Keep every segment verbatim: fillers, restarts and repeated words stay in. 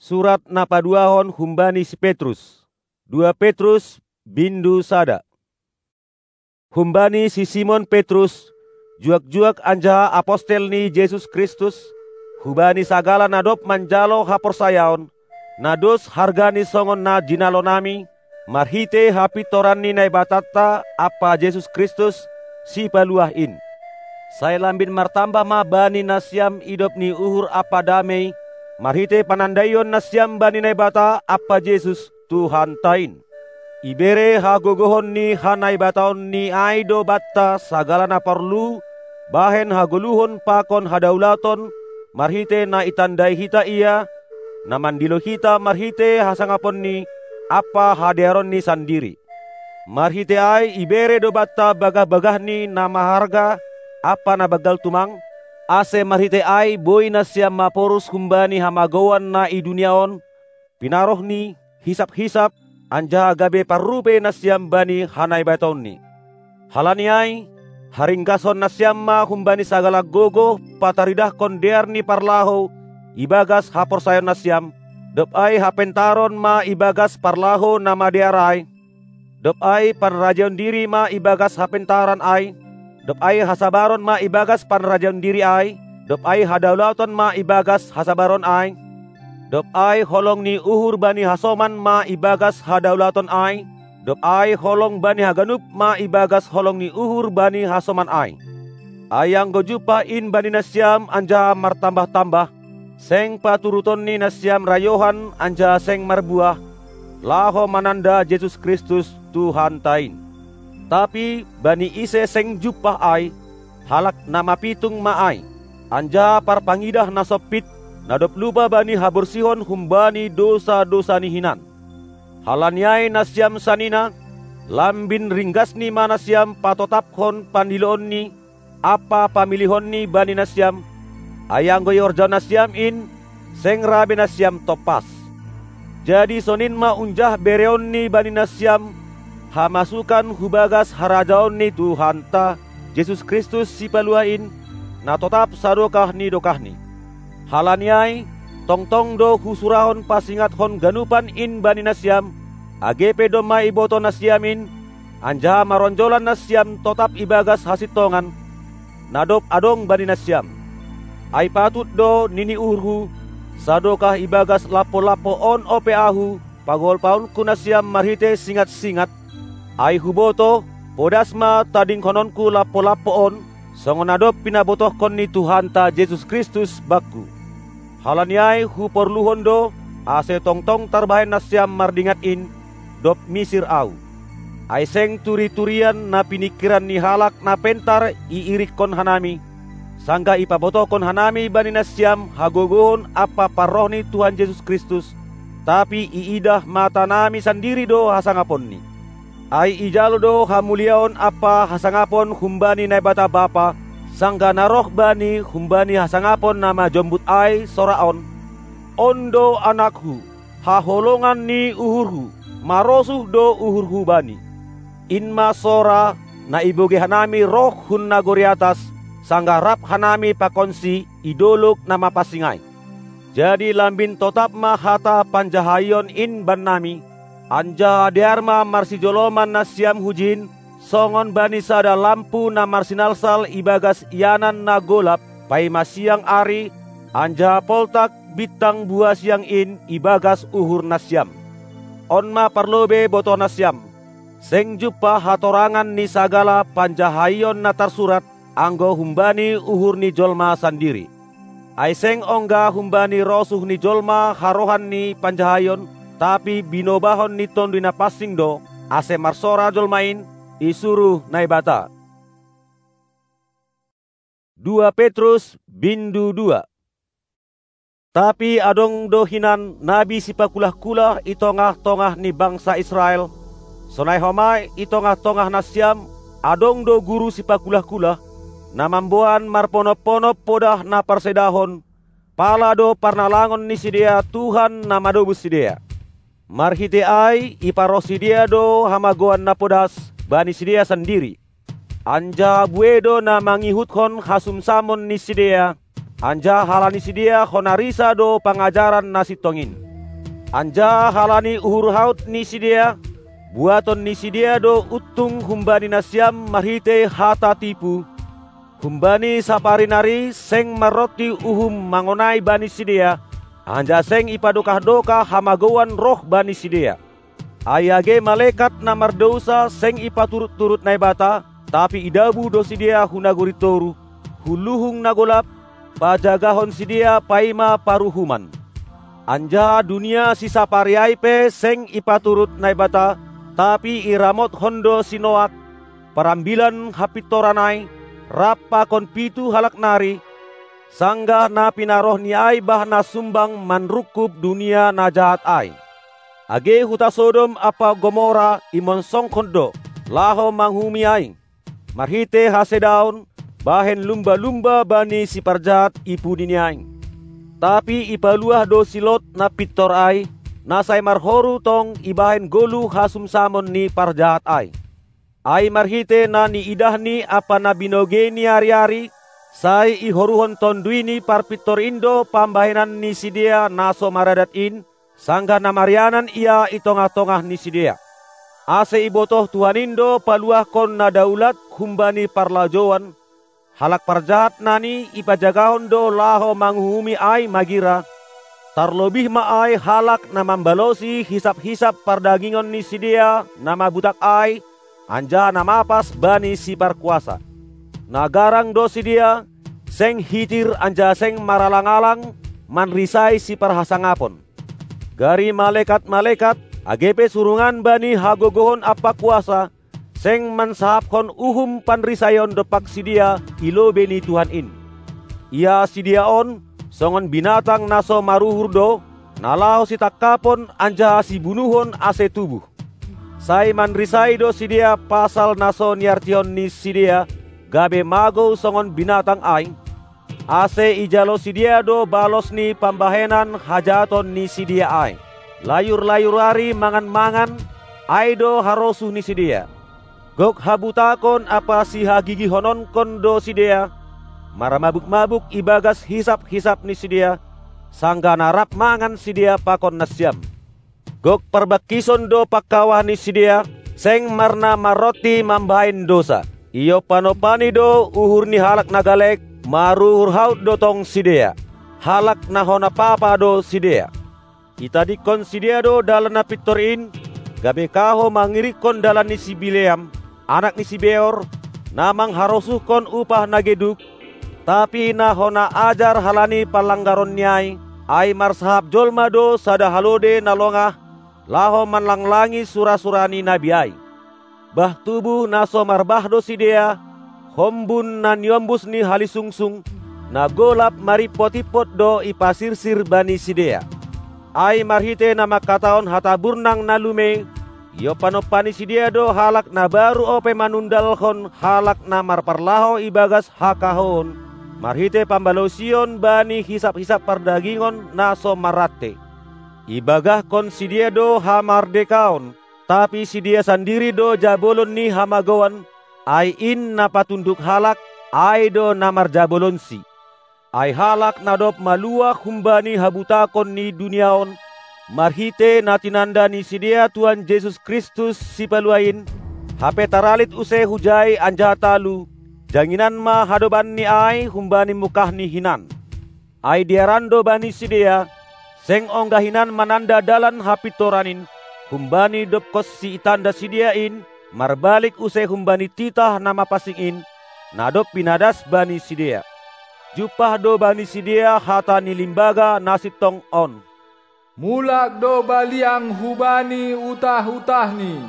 Surat na paduahon humbani si Petrus. Dua Petrus, bindu sada. Humbani si Simon Petrus, juak-juak anjaha apostel ni Jesus Kristus, hubani sagala na dob manjalo haporsayaon, na dos hargani songon na jinalonami, marhitei hapintoran ni Naibatanta ampa Jesus Kristus, Sipaluah in. Sai lambin martambah ma bani nasiam idop ni uhur ampa damei, marhitei panandaion nasiam bani Naibata ampa Jesus, Tuhanta in. Ibere hagogohon ni hanaibataonNi ai do banta sagala na porlu bahen hagoluhon pakon hadaulaton, marhitei na itandai hita Ia, na mandilo hita marhitei hasangaponNi ampa hadearonNi sandiri. Marhitei ai ibere do banta bagah-bagahNi na maharga ampa na banggal tumang, ase marhitei ai boi nasiam maporus humbani hamagouan na i dunia on, pinaroh ni hisap-hisap, anjaha gabe parrupei nasiam bani hanaibataonNi. Halani ai, haringkashon nasiam ma humbani sagala gogoh pataridahkon dear ni parlahou ibagas haporsayaon nasiam, dob ai hapentaron ma ibagas parlahou na madear ai, dob ai panrajaon diri ma ibagas hapentaran ai, dob ai hasabaron ma ibagas panrajaon diri ai, dob ai hadaulaton ma ibagas hasabaron ai, dob ai holong ni uhur bani hasoman ma ibagas hadaulaton ai, dob ai holong bani haganup ma ibagas holong ni uhur bani hasoman ai. Ai anggo jumpah in bani nasiam anjaha martambah-tambah, seng paturutonni nasiam rayohan anjaha seng marbuah, laho mananda Jesus Kristus, Tuhanta in. Tapi bani ise seng jumpah ai, halak na mapitung ma ai, anjaha parpangidah na sompit, na dob lupa bani haborsihon humbani dousa-dousani hinan. Halani ai nasiam sanina, lambin ringgasni ma nasiam patotaphon pandiloonNi ampa pamilihonNi bani nasiam, ai anggo ihorjahon nasiam in, seng ra be nasiam tompas. Jadi sonin ma unjah bereonNi bani nasiam, hamasukan hu bagas harajaon ni Tuhanta Jesus Kristus Sipaluah in, na totap sadokah ni dokahni. Halani ai, tongtong do husurahon pasingathon ganupan in bani nasiam, age pe domma ibotoh nasiam in, anjaha maronjolan nasiam totap ibagas hasintongan, na dob adong bani nasiam. Ai patut do nini uhurhu, sadokah ibagas lampo-lampo on ope ahu, pagolpaonku nasiam marhitei singat-singat, ai hubotoh, podas ma tadingkononku lampo-lampo on, songon na dob pinabotohkon ni Tuhanta Jesus Kristus bangku. Halani ai huporluhon do, ase tongtong tarbahen nasiam mardingat in, dob misir ahu. Ai seng turi-turian na piningkiran ni halak na pentar iirikkon hanami, sanggah ipabotohkon hanami bani nasiam hagogohon ampa parroh ni Tuhan Jesus Kristus, tapi iidah matanami sandiri do hasangaponNi. Ai ijalo do hamuliaon ampa hasangapon humbani Naibata Bapa, sanggah na roh Bani humbani hasangapon na majombut ai sora on: On do AnakHu, haholongan ni uhurHu, marosuh do uhurHu Bani. In ma sora, na ibogei hanami roh hun nagori atas, sanggah rap hanami pakonSi i dolog na mapansing ai. Jadi lambin totap ma hata panjahaion in bannami, anjaha dear ma marsijoloman nasiam hujin, songon bani sada lampu na marsinalsal ibagas ianan na golap, paima siang ari, anjaha poltak bintang buhasiang in ibagas uhur nasiam. On ma parlobei botoh nasiam: Seng jumpah hatorangan ni sagala panjahaion na tarsurat, anggo humbani uhur ni jolma sandiri. Ai seng ongga humbani rosuh ni jolma harohan ni panjahaion, tapi binobahon ni Tonduy Napansing do, ase marsora jolma in, isuruh Naibata. Dua Petrus, bindu dua. Tapi adong do hinan nabi sipakulah-kulah i tongah-tongah ni bangsa Israel, sonai homa i tongah-tongah nasiam adong do guru sipakulah-kulah, na mamboan marponop-ponop podah na parsedahon, pala do parnalangon ni sidea Tuhan na madobus sidea. Marhitei ai iparoh sidea do hamagouan na podas bani sidea sandiri. Anjaha buei do na mangihuthon hasumsamon ni sidea, anjaha halani sidea hona risa do pangajaran na sintong in. Anjaha halani uhur haut ni sidea, buaton ni sidea do untung humbani nasiam marhitei hata tipu. Humbani sapari nari seng marronti uhum mangonai bani sidea, anjaha seng ipadokah-dokah hamagouan roh bani sidea. Ai age malekat na mardousa seng ipaturut-turut Naibata, tapi idabuh do sidea hu nagori toruh, hu luhung na golap, pajagahon sidea paima paruhuman. Anjaha dunia sisapari ai pe seng ipaturut Naibata, tapi iramotkon do si Noak, parambilan hapintoran ai, rap pakon pitu halak nari, sanggah na pinarohni ai bah na sumbang manrungkub dunia na jahat ai. Age huta Sodom ampa Gomora imonsongkon do, laho manguhumi ai, marhitei hasedaon, bahen lumba-lumba bani siparjahat i pudini ai. Tapi ipaluah do si Lot na pintor ai, na sai marhoru tong ibahen goluh hasumsamon ni parjahat ai. Ai marhitei na niidahni ampa na binogeini ari-ari, sai ihoruhon Tonduy ni Parpintor in do pambahenan ni sidea na so maradat in, sanggah na marianan ia i tongah-tongah ni sidea. Ase ibotoh Tuhan in do paluahkon na daulat humbani parlajouan, halak parjahat nani ipajagahon do laho manguhumi ai magira, tarlobih ma ai halak na mambalosi hisap-hisap pardagingon ni sidea na mabutak ai, anjaha na mapas bani siparkuasa. Na garang do sidea, seng hitir anjaha seng maralang-alang manrisai siparhasangapon. Gari malekat-malekat, age pe surungan bani hagogohon ampa kuasa, seng mansahapkon uhum panrisaion dompak sidea i lobei ni Tuhan in. Ia sidea on, songon binatang na so maruhur do, na laho sitangkapon anjaha sibunuhon ase tubuh. Sai manrisai do sidea pasal na so niartihon ni sidea, gabe magou songon binatang ai, ase ijalo sidea do balos ni pambahenan hajahaton ni sidea ai. Layur-layur ari mangan-mangan, ai do harosuh ni sidea. Gok habutakon ampa sihagigihononkon do sidea, marmabuk-mabuk ibagas hisap-hisap ni sidea, sanggah na rap mangan sidea pakon nasiam. Gok parbangkison do pangkawah ni sidea, seng marna marronti mambahen dousa. Iompa-ompani do uhur ni halak na galek, maruhur haut do tong sidea. Halak na hona papa do sidea. Itadingkon sidea do dalan na pintor in, gabe kahou mangiringkon dalan ni si Bileam, anak ni si Beor, na mangharosuhkon upah na geduk, tapi na hona ajar halani panlanggaronni ai, ai marsahap jolma do sada halode na longah, laho manlanglangi sura-sura ni nabi ai. Bah tubuh na so marbah do sidea, hombun na niombus ni halisungsung, na golap marimpot-impot do ipasirsir bani sidea. Ai marhitei na mangkatahon hata burnang na lumei, iompa-ompani sidea do halak na baru ope manundalhon halak na marparlahou ibagas hakahouon, marhitei pambalosion bani hisap-hisap pardagingon na so marrante. Ibagahkon sidea do hamardekaon, tapi sidea sandiri do jabolon ni hamagouan, ai in na patunduk halak, ai do na marjabolonsi. Ai halak na dob maluah humbani habutakon ni dunia on, marhitei na tinanda ni sidea Tuhan Jesus Kristus Sipaluah in, hape taralit use hujai anjaha talu, janginan ma hadobanni ai humbani mungkahni hinan. Ai dearan do bani sidea, seng ongga hinan mananda dalan hapintoran in, humbani dobkonsi itanda sidea in, marbalik use humbani titah na mapansing in, na dob pinadas bani sidea. Jumpah do bani sidea hata ni limbaga na sintong on: Mulak do baliang hubani utah-utahni,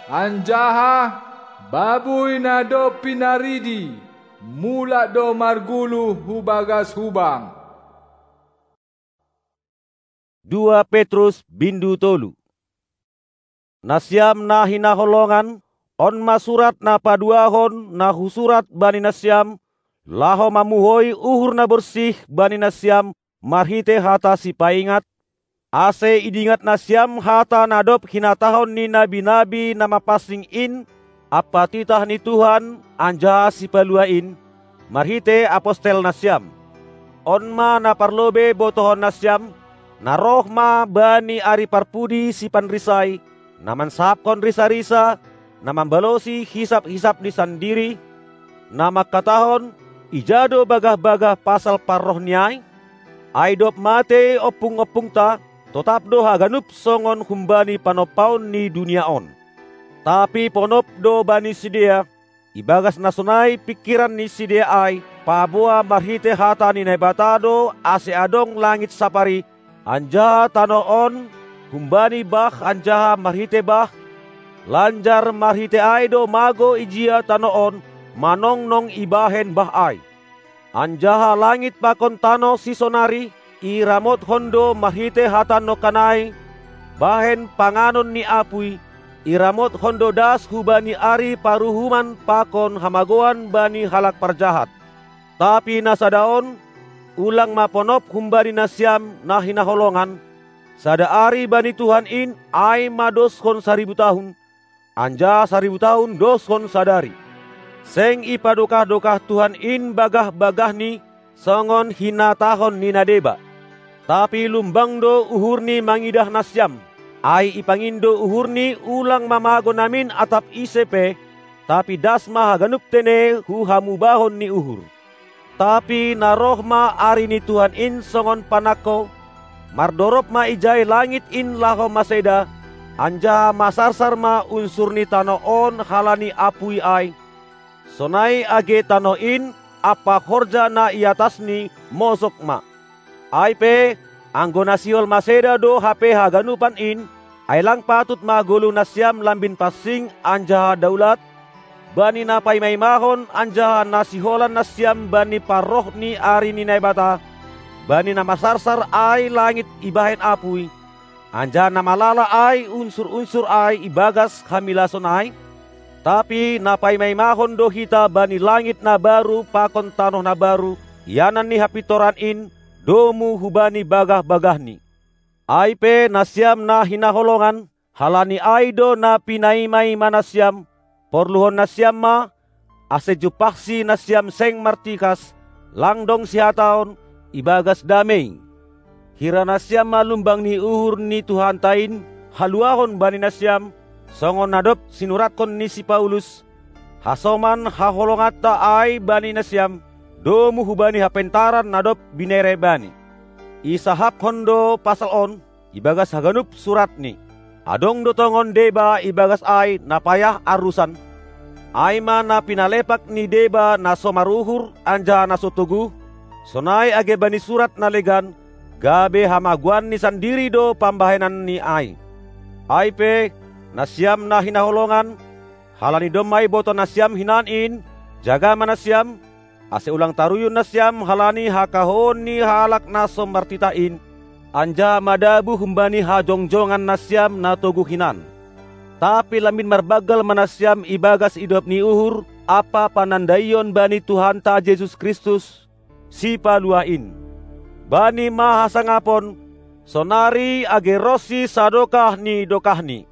anjaha babui na dob pinaridi, mulak do marguluh hu bagas hubang. Dua Petrus bindu tolu. Nasiam na hinaholongan, on ma surat na paduahon na husurat bani nasiam, laho mamuhoi uhur na borsih bani nasiam marhitei hata sipaingat, ase idingat nasiam hata na dob hinatahon ni nabi-nabi na mapansing in ampa titah ni Tuhan anjaha Sipaluah in, marhitei apostel nasiam. On ma na parlobei botohon nasiam, Na roh ma bani ari parpudi sipanrisai, na mansahapkon risa-risa, na mambalosi hisap-hisapni sandiri, na mangkatahon: Ija do bagah-bagah pasal parrohni ai? Ai dob matei ompung-ompungta, totap do haganup songon humbani panompaon ni dunia on. Tapi ponop do bani sidea, ibagas na sonai pingkiran ni sidea ai, paboa marhitei hata ni Naibata do ase adong langit sapari, anjaha tanoh on, humbani bah anjaha marhitei bah, lanjar marhitei ai do mago ijia tanoh on manongnong ibahen bah ai. Anjaha langit pakon tanoh sisonari iramotkon do marhitei hata nongkan ai, bahen panganon ni apuy, iramotkon do das hubani ari paruhuman pakon hamagoan bani halak parjahat. Tapi na sada on, ulang ma ponop humbani nasiam na hinaholongan: Sada ari bani Tuhan in ai madoskon saribu tahun, anjaha saribu tahun doskon sadari. Seng ipadokah-dokah Tuhan in bagah-bagahni songon hinatahon ni na deba. Tapi lumbang do uhurni mangidah nasiam, ai ipangindo uhurni ulang mamago namin atap ise pe, tapi das ma haganup tene hu hamubahon ni uhur. Tapi na roh ma ari ni Tuhan in songon panangko, mardorop ma ijai langit in laho maseda, anjaha masarsar ma unsur ni tanoh on halani apuy ai, sonai age tanoh in ampa horja na i atasni mosok ma. Ai pe, anggo na sihol maseda do hape haganupan in, ai lang patut ma goluh nasiam lambin pansing anjaha daulat, bani na paima-imahon anjaha na siholan nasiam bani parroh ni ari ni Naibata, bani na masarsar ai langit ibahen apuy, anjaha na malala ai unsur-unsur ai ibagas hamilason ai? Tapi na paima-imahon do hita bani langit na baru pakon tanoh na baru, ianan ni hapintoran in, domu hubani bagah-bagahni. Ai pe nasiam na hinaholongan, halani ai do na pinaima-ima nasiam, porluhon nasiam ma, ase jumpahsi nasiam seng martikas, lang dong sihataon, ibagas damei. Hira nasiam ma lumbang ni uhur ni Tuhanta in haluahon bani nasiam, songon na dob sinuratkon ni si Paulus: Hasoman haholonganta ai bani nasiam, domu hubani hapentaran na dob binere bani. Isahapkon do pasal on ibagas haganup suratni. Adong do tongon deba ibagas ai na payah arusan, ai ma na pinalepak ni deba na so maruhur anjaha na so toguh, sonai age bani surat na legan, gabe hamagoanni sandiri do pambahenanni ai. Ai pe, nasiam na hinaholongan, halani domma iboto nasiam hinan in, jaga ma nasiam, ase ulang taruyun nasiam halani hakahoon ni halak na so martitah in, anjaha madabu humbani hajongjongan nasiam na toguh hinan. Tapi lambin marbanggal ma nasiam ibagas idop ni uhur ampa panandaion bani Tuhanta Jesus Kristus, Sipaluah in. Bani ma hasangapon, sonari age ronsi sadokah ni dokahni.